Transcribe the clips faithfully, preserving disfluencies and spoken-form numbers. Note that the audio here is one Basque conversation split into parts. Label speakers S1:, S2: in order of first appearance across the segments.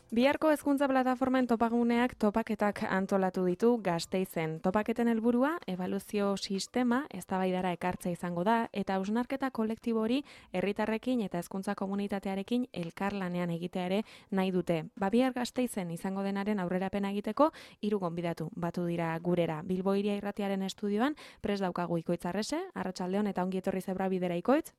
S1: Biharko hezkuntza plataformen topaguneak topaketak antolatu ditu Gasteizen. Topaketen helburua ebaluazio sistema eztabaidara ekartzea izango da eta hausnarketa kolektibo hori herritarrekin eta hezkuntza komunitatearekin elkarlanean egitea ere nahi dute. Ba, bihar Gasteizen izango denaren aurrerapena egiteko hiru gonbidatu batu dira gurera. Bilbo Hiria Irratiaren estudioan prest daukagu Ikoitz Arrese, arratsaldeon eta ongi etorri zebra bidera Ikoitz.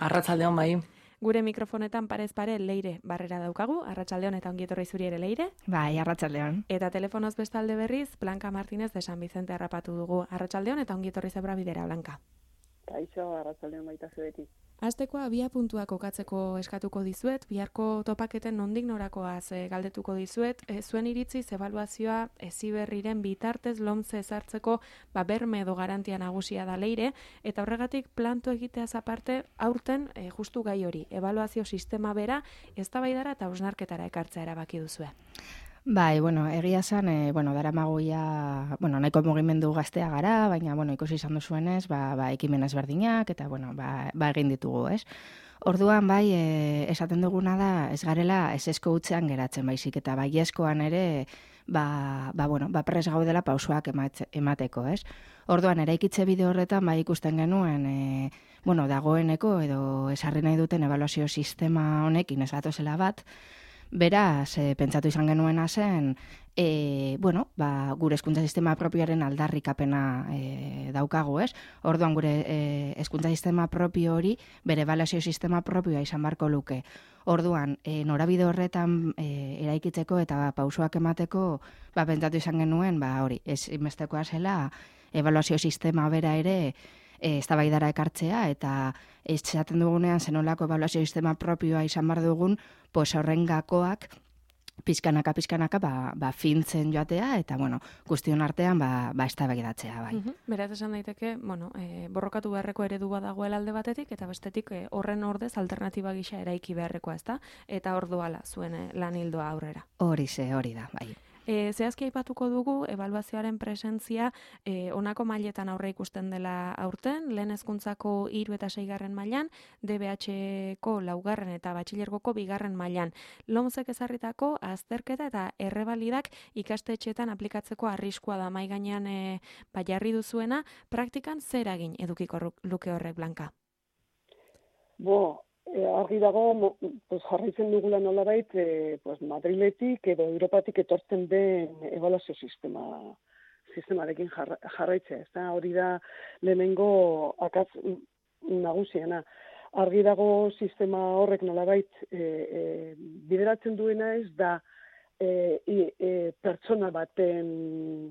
S2: Arratsaldeon bai.
S1: Gure mikrofonetan parez pare Leire Barrera daukagu, arratsaldeon eta ongi etorri zuri ere Leire.
S3: Bai, arratsaldeon.
S1: Eta telefonoz bestalde berriz, Blanca Martínez de San Vicente harrapatu dugu. Arratsaldeon eta ongi etorri zebra bidera, Blanca.
S4: Kaixo, arratsaldeon baita zuetik.
S1: Hasteko abia puntua kokatzeko eskatuko dizuet, biharko topaketen nondik norakoaz e, galdetuko dizuet, e, zuen iritziz ebaluazioa Heziberriren bitartez lomce ezartzeko ba, berme edo garantia nagusia da Leire, eta horregatik planto egiteaz aparte aurten e, justu gai hori, ebaluazio sistema bera eztabaidara eta hausnarketara ekartzea erabaki duzue.
S3: Bai, bueno, egia esan, e, bueno, daramagoia, bueno, nahiko mugimendu gaztea gara, baina, bueno, ikusi izan duzuenez, ba, ba, ekimen ezberdinak, eta, bueno, ba, ba egin ditugu, ez? Orduan, bai, e, esaten duguna da, ez garela esesko hutzean geratzen baizik, eta baiezkoan ere, ba, ba, bueno, ba, pres gaudela pausoak ematze, emateko, ez? Orduan, eraikitze bide horretan, bai, ikusten genuen, e, bueno, dagoeneko, edo esarri nahi duten ebaluazio sistema honekin ez batozela bat, beraz, e, pentsatu izan genuena zen, e, bueno, ba, gure hezkuntza sistema propioaren aldarrikapena e, daukagu, ez? Orduan gure e, hezkuntza sistema propio hori, bere ebaluazio sistema propioa izan barko luke. Orduan, e, norabide horretan e, eraikitzeko eta pausoak emateko, ba, pentsatu izan genuen, ba, hori, ez inbestekoa zela, ebaluazio sistema bera ere, E, eztabaidara ekartzea eta esaten dugunean zenolako ebaluazio sistema propioa izan bar dugun, pues horren gakoak pizkanaka pizkanaka ba, ba fintzen joatea eta bueno, guztion artean ba ba eztabaidatzea bai.
S1: Uh-huh. Beraz esan daiteke, bueno, e, borrokatu beharreko eredu bat dagoela alde batetik eta bestetik e, horren ordez alternatiba gisa eraiki beharrekoa, ezta? Eta orduala zuen e, lan ildoa aurrera.
S3: Hori ze, hori da, bai.
S1: E, zehazki aipatuko dugu, ebaluazioaren presentzia e, honako mailetan aurre ikusten dela aurten, lehen hezkuntzako hiru eta seigarren mailan, D B H-ko laugarren eta batxilergoko bigarren mailan. Lomcek ezarritako azterketa eta errebalidak ikastetxeetan aplikatzeko arriskua da mai gainean e, ba, jarri duzuena, praktikan zer eragin edukiko luke horrek, Blanca?
S4: Bo, E, argi dago, pues, jarraitzen dugula nolabait, e, pues, Madriletik edo Europatik etortzen den ebaluazio sistema sistemarekin jarra, jarraitzea. Ez da, hori da lehenengo akatz nagusiena. Argi dago sistema horrek nolabait e, e, bideratzen duena ez da e, e, pertsona baten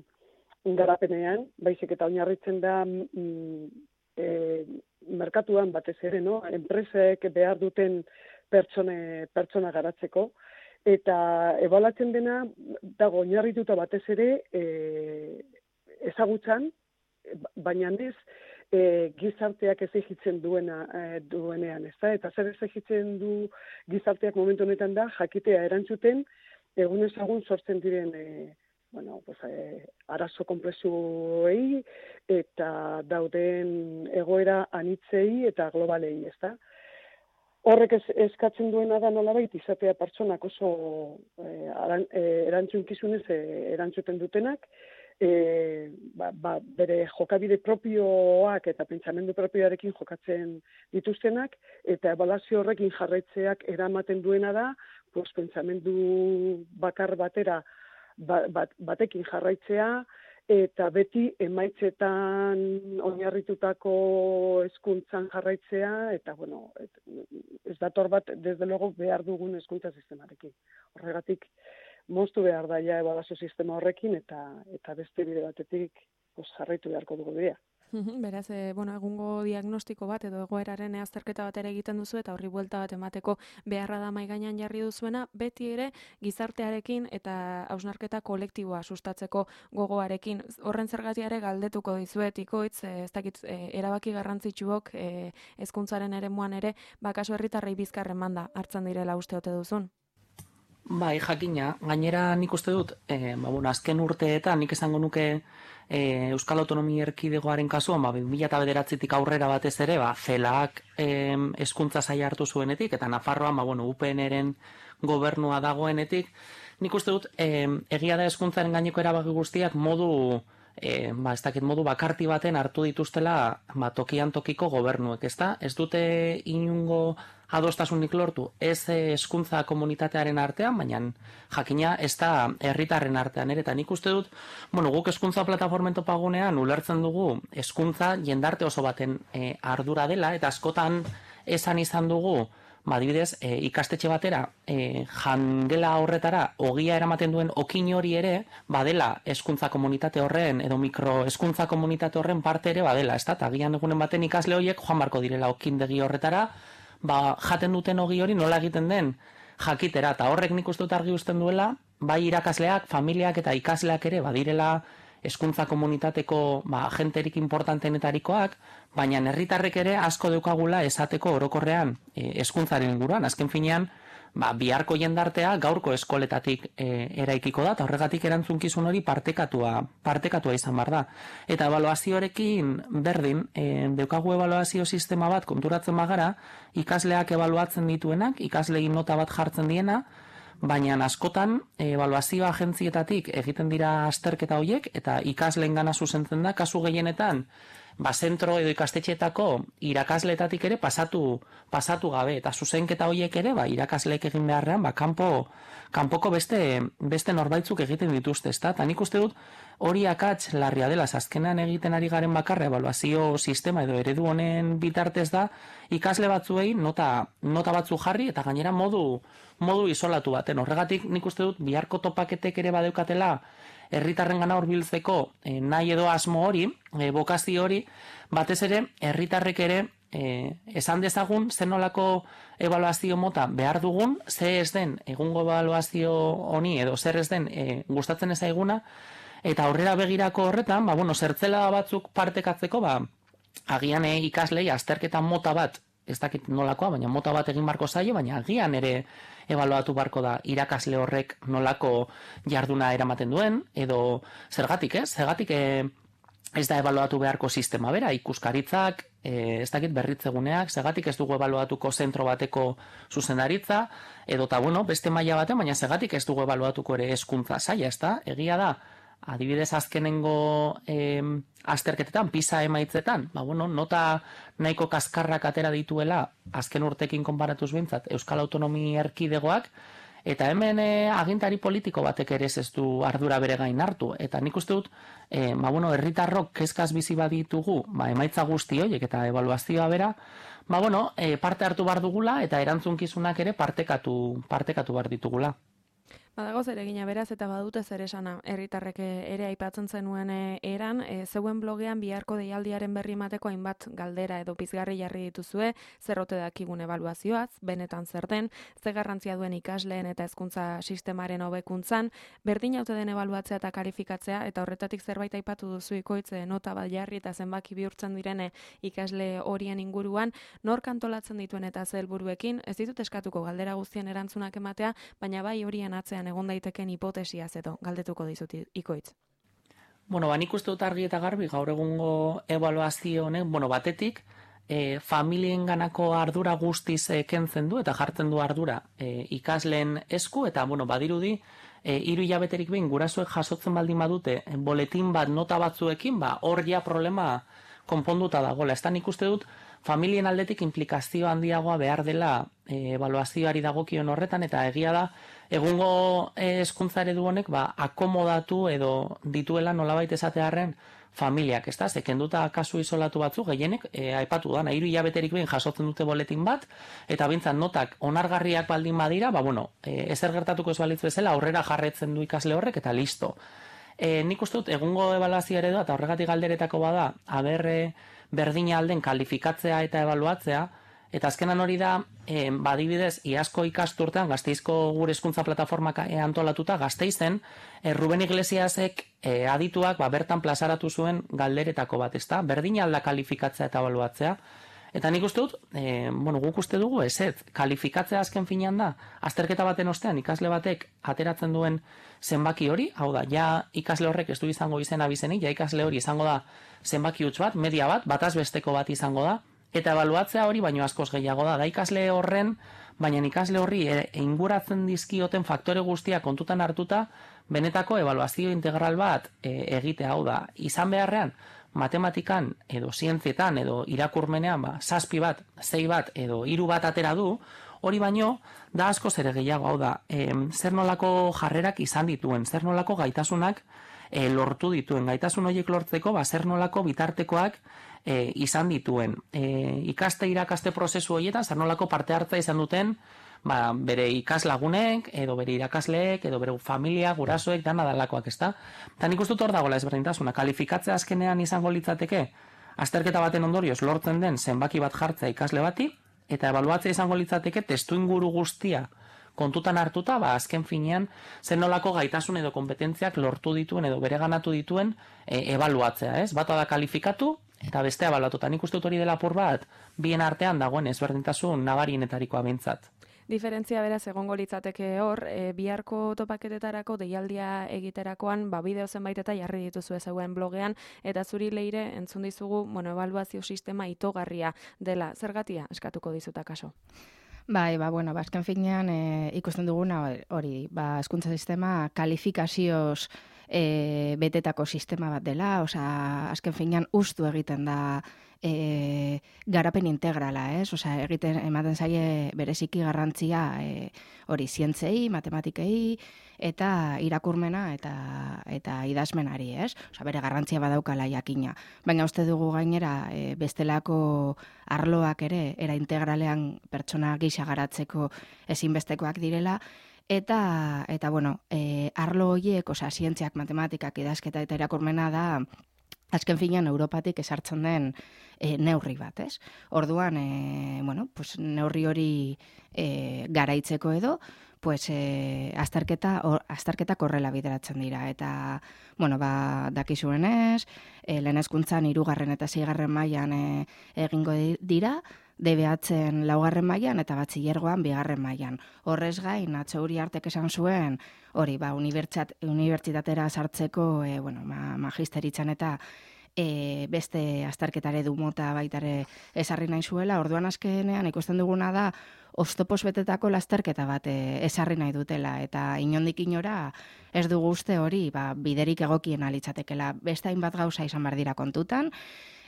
S4: garapenean, baizik eta oinarritzen da mm, e, merkatuan batez ere, no? Enpresek behar duten pertsone, pertsona garatzeko, eta ebaluatzen dena dago oinarrituta batez ere e, ezagutzan, baina ez e, gizarteak exigitzen duena e, duenean, ezta? Eta zer exigitzen du gizarteak momentu honetan da jakitea erantzuten egun ezagun sortzen diren e, bueno, pues, eh, arazo konplexuei eta dauden egoera anitzei eta globalei, ezta? Horrek ez, eskatzen duena da nolabait izatea pertsonak oso eh, aran, eh, erantzunkizunez eh, erantzuten dutenak, eh, ba, ba, bere jokabide propioak eta pentsamendu propioarekin jokatzen dituztenak, eta ebaluazio horrekin jarraitzeak eramaten duena da, pues, pentsamendu bakar batera Bat, batekin jarraitzea eta beti emaitzetan oinarritutako hezkuntzan jarraitzea eta bueno, et, ez dator bat desde luego behar dugun hezkuntza sistemarekin. Horregatik moztu behar da ja ebaluazio sistema horrekin eta eta beste bide batetik pues, jarraitu beharko dugu bidea.
S1: Beraz, e, bueno, egungo diagnostiko bat edo egoeraren azterketa bat ere egiten duzu eta horri buelta bat emateko beharra da mai gainean jarri duzuena, beti ere gizartearekin eta hausnarketa kolektiboa sustatzeko gogoarekin. Horren zergatia ere galdetuko dizuet, Ikoitz, e, ez dakit, e, erabaki garrantzitsuok e, hezkuntzaren eremuan ere, bakaso herritarrei bizkarren manda hartzen direla uste ote duzun?
S2: Bai, jakina, gainera nik uste dut, e, ba, bueno, azken urteetan nik esango nuke e, Euskal Autonomia Erkidegoaren kasuan, ba, bi mila bederatzitik aurrera batez ere, ba, zelak e, hezkuntza saila hartu zuenetik, eta Nafarroan, ba, bueno, U P N-ren gobernua dagoenetik, nik uste dut, e, egia da hezkuntzaren gaineko erabaki guztiak modu, e, ba, ez dakit modu bakarti baten hartu dituztela, ba, tokian tokiko gobernuek, ezta? Ez dute inungo adostasunik lortu, ez hezkuntza komunitatearen artean, baina jakina ez da herritarren artean ere, eta nik uste dut, bueno, guk hezkuntza plataformen topagunean ulertzen dugu hezkuntza jendarte oso baten e, ardura dela, eta askotan esan izan dugu, ba, adibidez, e, ikastetxe batera, e, jangela horretara, ogia eramaten duen okin hori ere, badela hezkuntza komunitate horren, edo mikro hezkuntza komunitate horren parte ere badela, ez da, eta agian egunen baten ikasle horiek joan barko direla okindegi horretara, ba, jaten duten ogi hori nola egiten den jakitera, eta horrek nik uste dut argi uzten duela, bai irakasleak, familiak eta ikasleak ere badirela hezkuntza komunitateko ba, agenterik importantenetarikoak, baina herritarrek ere asko deukagula esateko orokorrean hezkuntzaren inguruan, azken finean, ba, biharko jendartea gaurko eskoletatik e, eraikiko da, eta horregatik erantzunkizun hori partekatua, partekatua izan bar da. Eta ebaluazioarekin berdin, e, deukagu ebaluazio sistema bat konturatzen bagara, ikasleak ebaluatzen dituenak, ikaslein nota bat jartzen diena, baina askotan ebaluazio agentzietatik egiten dira azterketa horiek, eta ikasleen gana zuzentzen da, kasu gehienetan, ba, zentro edo ikastetxeetako irakasletatik ere pasatu pasatu gabe, eta zuzenketa horiek ere, ba, irakasleek egin beharrean, ba, kanpo, kanpoko beste, beste norbaitzuk egiten dituzte, ezta? Eta nik uste dut hori akats larria dela, azkenean egiten ari garen bakarra ebaluazio sistema edo eredu honen bitartez da, ikasle batzuei nota, nota batzu jarri, eta gainera modu, modu isolatu baten. Horregatik nik uste dut biharko topaketek ere badeukatela herritarren gana hurbiltzeko e, nahi edo asmo hori, e, bokazio hori, batez ere, herritarrek ere e, esan dezagun zenolako ebaluazio mota behar dugun, ze ez den egungo ebaluazio honi edo zer ez den e, gustatzen ez aiguna, eta aurrera begirako horretan, ba, bueno, zertzela batzuk partekatzeko, ba, agian e, ikaslei azterketa mota bat, ez dakit nolakoa, baina mota bat egin barko zaio, baina agian ere ebaluatu barko da irakasle horrek nolako jarduna eramaten duen, edo zergatik, ez? Zergatik e, ez da ebaluatu beharko sistema bera, ikuskaritzak, e, ez dakit berritzeguneak, zergatik ez dugu ebaluatuko zentro bateko zuzendaritza, edo eta, bueno, beste maila baten, baina zergatik ez dugu ebaluatuko ere hezkuntza saila, ez da? Egia da, adibidez azkenengo eh, azterketetan, PISA emaitzetan, ba, bueno, nota nahiko kaskarrak atera dituela azken urtekin konparatuz bintzat Euskal Autonomia Erkidegoak, eta hemen eh, agintari politiko batek ere ez du ardura bere gain hartu, eta nik uste dut, eh, ba, bueno, herritarrok kezkaz bizi baditugu, ba, emaitza guzti horiek eta ebaluazioa bera, ba, bueno, eh, parte hartu bar dugula eta erantzunkizunak ere partekatu, partekatu bar ditugula.
S1: Badago zer egina beraz eta badute zer esana herritarrek ere aipatzen zenuen eran, e, zeuen blogean biharko deialdiaren berri emateko hainbat galdera edo pizgarri jarri dituzue, zer ote dakigun ebaluazioaz, benetan zer den, ze garrantzia duen ikasleen eta hezkuntza sistemaren hobekuntzan, berdin haute den ebaluatzea eta kalifikatzea, eta horretatik zerbait aipatu duzu ikoitze nota bat jarri eta zenbaki bihurtzen direne ikasle horien inguruan, nork antolatzen dituen eta ze helburuekin, ez ditut eskatuko galdera guztien erantzunak ematea, baina bai horien atzean egon daiteken hipotesiaz edo galdetuko dizut ikoitz.
S2: Bueno, ba, nik uste dut argi eta garbi gaur egungo ebaluazio honek, bueno, batetik, e, familien ganako ardura guztiz e, kentzen du eta jartzen du ardura e, ikasleen esku, eta, bueno, badirudi, e, hiru hilabeterik behin gurasoek jasotzen baldin badute e, boletin bat nota batzuekin, ba, hor ja problema konponduta dagoela. Ez da nik uste dut, familien aldetik implikazio handiagoa behar dela e, ebaluazioari dagokion horretan, eta egia da, egungo hezkuntza eredu honek ba, akomodatu edo dituela nolabait esatearren familiak, ez da? Zekenduta kasu isolatu batzu, gehienek, e, aipatu da, hiru hilabeterik behin jasotzen dute boletin bat, eta bintzat notak onargarriak baldin badira, ba, bueno, e, ezer gertatuko ez balitz bezala, aurrera jarretzen du ikasle horrek, eta listo. E, nik uste dut, egungo ebaluazio eredua, eta horregatik galderetako bada, aber berdina alden kalifikatzea eta ebaluatzea, eta azkenan hori da, e, badibidez, iazko ikasturtean, Gasteizko gure hezkuntza plataformak antolatuta, Gasteizen, e, Ruben Iglesiasek e, adituak ba, bertan plazaratu zuen galderetako bat, ezta? Berdina alda kalifikatzea eta ebaluatzea, Eta nik uste dut, e, bueno, guk uste dugu, ez ez, kalifikatzea azken finean da, azterketa baten ostean ikasle batek ateratzen duen zenbaki hori, hau da, ja ikasle horrek ez du izango izena bizenik, ja ikasle hori izango da zenbaki huts bat, media bat, bataz besteko bat izango da, eta ebaluatzea hori baino askoz gehiago da, da ikasle horren, baina ikasle horri e, inguratzen dizkioten faktore guztia kontutan hartuta, benetako ebaluazio integral bat e, egitea, hau da, izan beharrean, matematikan edo zientzietan edo irakurmenean ba, zazpi bat, zei bat edo hiru bat atera du, hori baino da asko ere gehiago, hau da, e, zer nolako jarrerak izan dituen, zer nolako gaitasunak e, lortu dituen, gaitasun horiek lortzeko, ba, zer nolako bitartekoak e, izan dituen. E, ikaste irakaste prozesu horietan, zer nolako parte hartza izan duten, ba, bere ikaslagunek, edo bere irakasleek, edo bere familia, gurasoek, dana dalakoak, ezta? Eta nik uste dut hor dagoela ezberdintasuna. Kalifikatzea azkenean izango litzateke, azterketa baten ondorioz lortzen den zenbaki bat jartzea ikasle bati, eta ebaluatzea izango litzateke testu inguru guztia kontutan hartuta, ba, azken finean, zen nolako gaitasun edo kompetentziak lortu dituen edo bere ganatu dituen e, ebaluatzea, ez? Bata da kalifikatu, eta bestea ebaluatu. Eta nik uste dut hori dela apur bat, bien artean dagoen ezberdintasun nabarienetarikoa behintzat.
S1: Diferentzia beraz egongo litzateke hor, e, biharko topaketetarako deialdia egiterakoan, ba, bideo zenbait eta jarri dituzu zeuen blogean, eta zuri Leire entzun dizugu, bueno, ebaluazio sistema itogarria dela. Zergatia eskatuko dizuta kaso?
S3: Bai, ba, bueno, ba, azken finean e, ikusten duguna hori, ba, hezkuntza sistema kalifikazioz e, betetako sistema bat dela, osea, azken finean ustu egiten da e, garapen integrala, ez? Osea, egiten ematen zaie bereziki garrantzia e, hori zientzei, matematikei eta irakurmena eta eta idazmenari, ez? Osea, bere garrantzia badaukala jakina. Baina uste dugu gainera e, bestelako arloak ere era integralean pertsona gisa garatzeko ezinbestekoak direla. Eta, eta bueno, e, arlo horiek, osea, zientziak, matematikak, idazketa eta irakurmena da, azken finean Europatik esartzen den e, neurri bat, ez? Orduan, e, bueno, pues, neurri hori e, garaitzeko edo, pues, e, azterketa, or, azterketa korrela bideratzen dira. Eta, bueno, ba, dakizuenez, e, lehen hezkuntzan hirugarren eta seigarren mailan e, egingo dira, D B H-en laugarren mailan eta batxilergoan bigarren mailan. Horrez gain, Atzo Uriartek esan zuen, hori, ba, unibertsitatera sartzeko, e, bueno, ma, magisteritzan eta e, beste azterketare du mota baitare esarri nahi zuela. Orduan azkenean ikusten duguna da, oztopos betetako lasterketa bat e, esarri nahi dutela, eta inondik inora ez dugu uste hori, ba, biderik egokien alitzatekela. Beste hainbat gauza izan behar dira kontutan,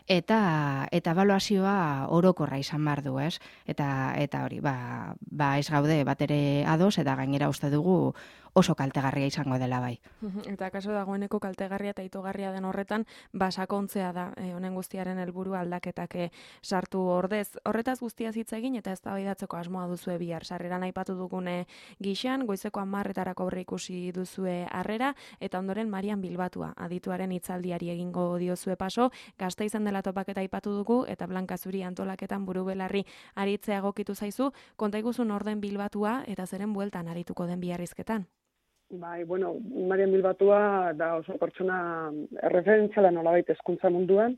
S3: eta eta ebaluazioa orokorra izan behar du, ez? Eta eta hori, ba, ba ez gaude bat ere ados, eta gainera uste dugu oso kaltegarria izango dela bai.
S1: Eta kaso dagoeneko kaltegarria eta itogarria den horretan, basakontzea da e, honen guztiaren helburu aldaketak e, sartu ordez. Horretaz guztia hitz egin eta eztabaidatzeko asmoa duzue bihar. Sarreran aipatu dugune gixan, goizeko hamarretarako aurre ikusi duzue harrera, eta ondoren Marian Bilbatua, adituaren hitzaldiari egingo diozue paso, Gasteizen dela topaketa aipatu dugu, eta Blanka zuri antolaketan buru belarri aritzea egokitu zaizu, konta iguzun orden Bilbatua eta zeren bueltan arituko den biharrizketan.
S4: Bai, bueno, Marian Bilbatua da oso pertsona erreferentziala nolabait hezkuntza munduan,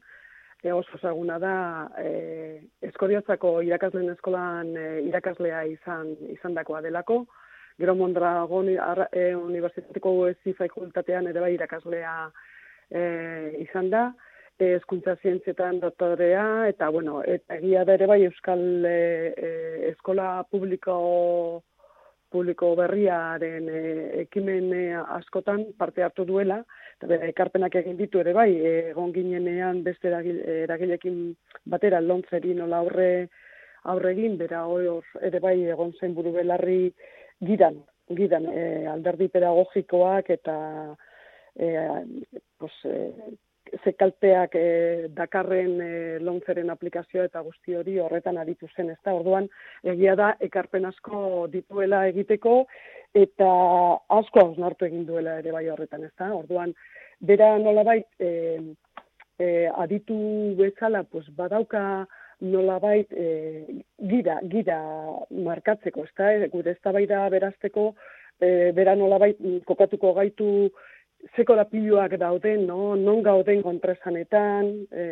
S4: e, oso ezaguna da e, Eskoriatzako irakasleen eskolan e, irakaslea izan izandakoa delako, gero Mondragon e, Unibertsitateko Ezi fakultatean ere bai irakaslea e, izan da, e, hezkuntza zientzietan doktorea, eta bueno, eta egia da ere bai Euskal e, e, eskola publiko publiko berriaren e, ekimen e, askotan parte hartu duela, eta bere ekarpenak egin ditu ere bai, egon ginenean beste eragilekin batera lontzeri nola aurre aurre egin, bera hor ere bai egon zen buru belarri gidan, gidan e, alderdi pedagogikoak eta e, pues, e, ze kalteak e, dakarren e, lontzeren aplikazioa eta guzti hori horretan aritu zen, ezta? Orduan, egia da, ekarpen asko dituela egiteko, eta asko hausnartu egin duela ere bai horretan, ezta? Orduan, bera nolabait e, e, aditu bezala, pues, badauka nolabait e, gira, gira markatzeko, ezta? E, gure eztabaida berazteko, e, bera nolabait kokatuko gaitu ze korapiloak dauden, no? Non gauden kontraesanetan, e,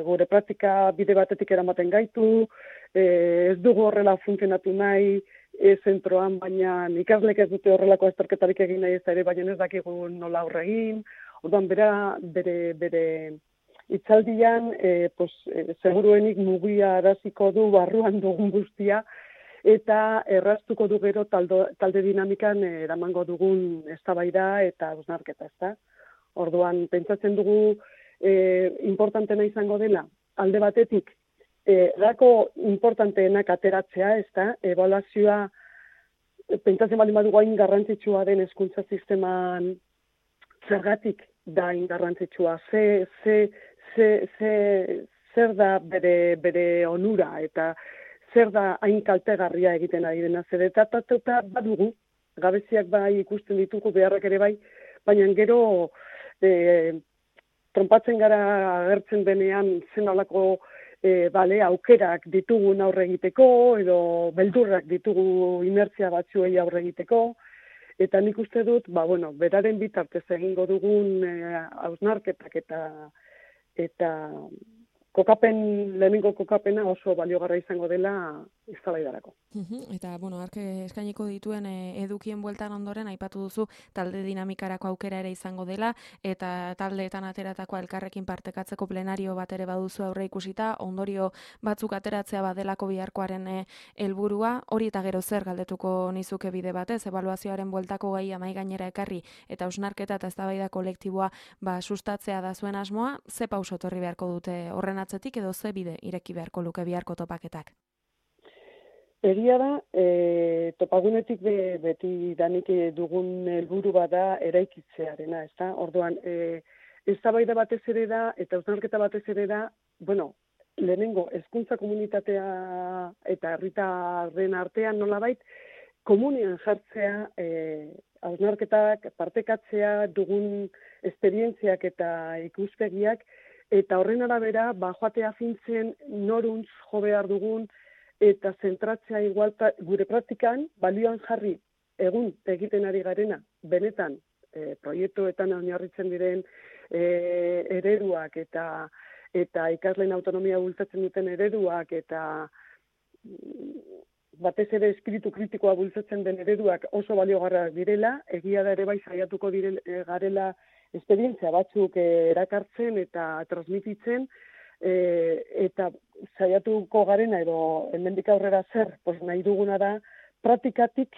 S4: gure praktika bide batetik eramaten gaitu, e, ez dugu horrela funtzionatu nahi e, zentroan, baina ikaslek ez dute horrelako azterketarik egin nahi ez da ere, baina ez dakigu nola aurre egin. Orduan, bera, bere, bere itzaldian, e, pues, e, seguruenik mugia araziko du barruan dugun guztia, eta erraztuko du gero taldo, talde dinamikan eramango dugun eztabaida eta hausnarketa, ezta? Orduan, pentsatzen dugu e, importantena izango dela, alde batetik, e, gako importanteenak ateratzea, ezta? Ebaluazioa, pentsatzen baldin badugu hain garrantzitsua den hezkuntza sisteman zergatik da hain garrantzitsua, ze, ze, ze, ze, zer da bere, bere onura, eta zer da hain kaltegarria egiten ari dena, zer eta badugu, gabeziak bai ikusten ditugu, beharrak ere bai, baina gero e, trompatzen gara agertzen denean zen olako e, bale, aukerak ditugun aurre egiteko, edo beldurrak ditugu inertzia batzuei aurre egiteko, eta nik uste dut, ba, bueno, beraren bitartez egingo dugun hausnarketak eta eta kokapen, lehenengo kokapena oso baliogarra izango dela eztabaidarako.
S1: Eta, bueno, ark eskainiko dituen e, edukien bueltan ondoren aipatu duzu talde dinamikarako aukera ere izango dela, eta taldeetan ateratako elkarrekin partekatzeko plenario bat ere baduzu aurre ikusita, ondorio batzuk ateratzea badelako biharkoaren helburua, hori eta gero zer galdetuko nizuke bide batez, ebaluazioaren bueltako gaia mahai gainera ekarri, eta hausnarketa eta eztabaida kolektiboa ba, sustatzea da zuen asmoa, ze pauso etorri beharko dute horren atzetik edo ze bide ireki beharko luke biharko topaketak?
S4: Egia da, e, topagunetik be, beti danik dugun helburu bada eraikitzearena, ezta? Orduan, e, eztabaida batez ere da, eta hausnarketa batez ere da, bueno, lehenengo, hezkuntza komunitatea eta herritarren artean nolabait, komunean jartzea, e, hausnarketak, partekatzea, dugun esperientziak eta ikuspegiak, eta horren arabera, ba, joatea fintzen noruntz jo behar dugun, eta zentratzea igual gure praktikan, balioan jarri egun egiten ari garena, benetan, e, proiektuetan oinarritzen diren e, ereduak eta eta ikasleen autonomia bultzatzen duten ereduak eta batez ere espiritu kritikoa bultzatzen den ereduak oso baliogarriak direla, egia da ere bai saiatuko direla garela esperientzia batzuk e, erakartzen eta transmititzen, E, eta saiatuko garena edo hemendik aurrera zer, pues nahi duguna da praktikatik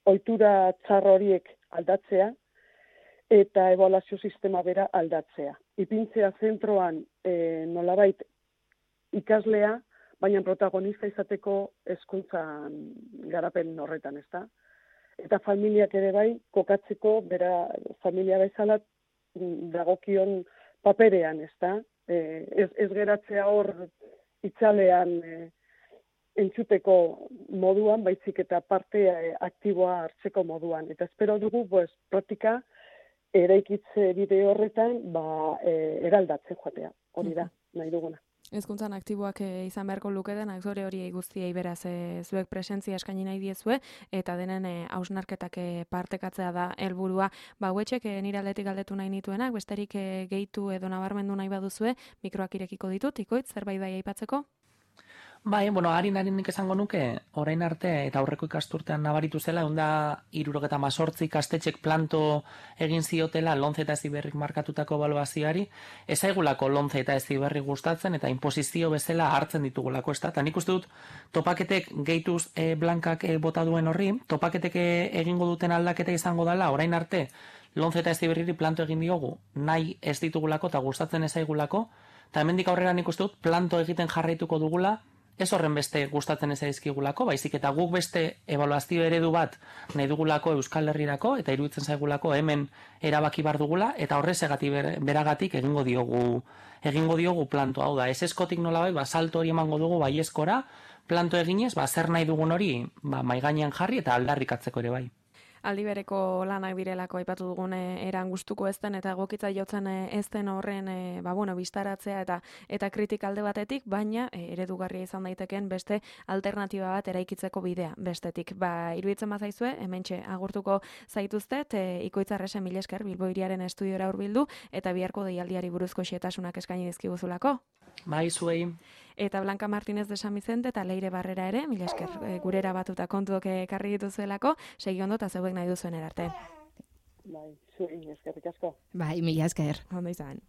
S4: ohitura txar horiek aldatzea eta ebaluazio sistema bera aldatzea. Ipintzea zentroan e, nolabait ikaslea, baina protagonista izateko hezkuntzan garapen horretan, ezta? Eta familiak ere bai kokatzeko bera familia bezala dagokion paperean, ezta? Eh, ez, ez geratzea hor itzalean eh, entzuteko moduan, baizik eta parte eh, aktiboa hartzeko moduan. Eta espero dugu, pues, praktika eraikitze bide horretan, ba, eh, eraldatzen joatea. Hori da, nahi duguna.
S1: Hezkuntzan aktiboak e, izan beharko lukedenak zure hori guztiei beraz e, zuek presentzia eskaini nahi diezue eta denen hausnarketak e, partekatzea da helburua. Ba, hauetxek e, nire aldetik galdetu nahi nituenak, besterik e, gehitu edo nabarmendu nahi baduzue, mikroak irekiko ditut, ikoitz, zerbait bai aipatzeko?
S2: Bai, bueno, harin harin nik esango nuke, orain arte eta aurreko ikasturtean nabaritu zela, egun da hirurogeta mazortzi ikastetxek planto egin ziotela Lonce eta Heziberrik markatutako ebaluazioari, ez aigulako Lonce eta Heziberrik gustatzen eta imposizio bezala hartzen ditugulako, ez da? Eta nik uste dut topaketek gehituz e, blankak e, bota duen horri, topaketek e, egingo duten aldaketa izango dela, orain arte Lonce eta Heziberriri planto egin diogu, nahi ez ditugulako eta gustatzen ez aigulako, eta hemendik aurrera nik uste dut planto egiten jarraituko dugula, ez horren beste gustatzen ez zaizkigulako, baizik eta guk beste ebaluazio eredu bat nahi dugulako Euskal Herrirako eta iruditzen zaigulako hemen erabaki bar dugula eta horrezegatik beragatik egingo diogu egingo diogu planto, hau da, ez eskotik nolabait, ba salto hori emango dugu baiezkora, planto eginez, ba zer nahi dugun hori, ba mai gainean jarri eta aldarrikatzeko ere bai.
S1: aldi bereko lanak direlako aipatu dugun eran gustuko ez den eta egokitza jotzen ez den horren e, ba, bueno, bistaratzea eta eta kritik alde batetik, baina e, eredugarria izan daiteken beste alternatiba bat eraikitzeko bidea bestetik. Ba, iruditzen bazaizue, hementxe agurtuko zaituztet, e, Ikoitzarresen mila esker Bilbo Hiriaren estudiora hurbildu eta biharko deialdiari buruzko xehetasunak eskaini dizkiguzulako.
S2: Bai, zuei.
S1: Eta Blanca Martínez de San Vicente eta Leire Barrera ere, mila esker e, gurera batuta kontuok ekarri dituzuelako, segi ondo eta zeuek nahi duzuen erarte.
S4: Bai, zuei, eskerrik asko.
S3: Bai, mila esker.
S1: Ondo izan.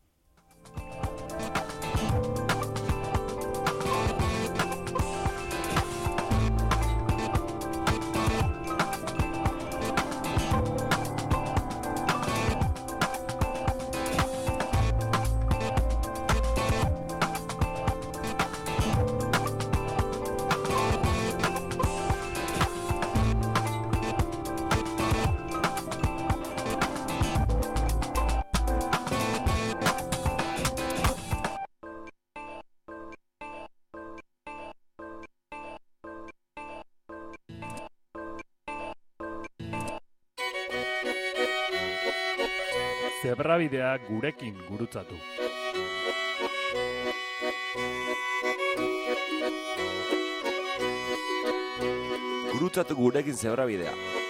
S5: Zebrabidea gurekin gurutzatu.
S6: Gurutzatu gurekin zebrabidea.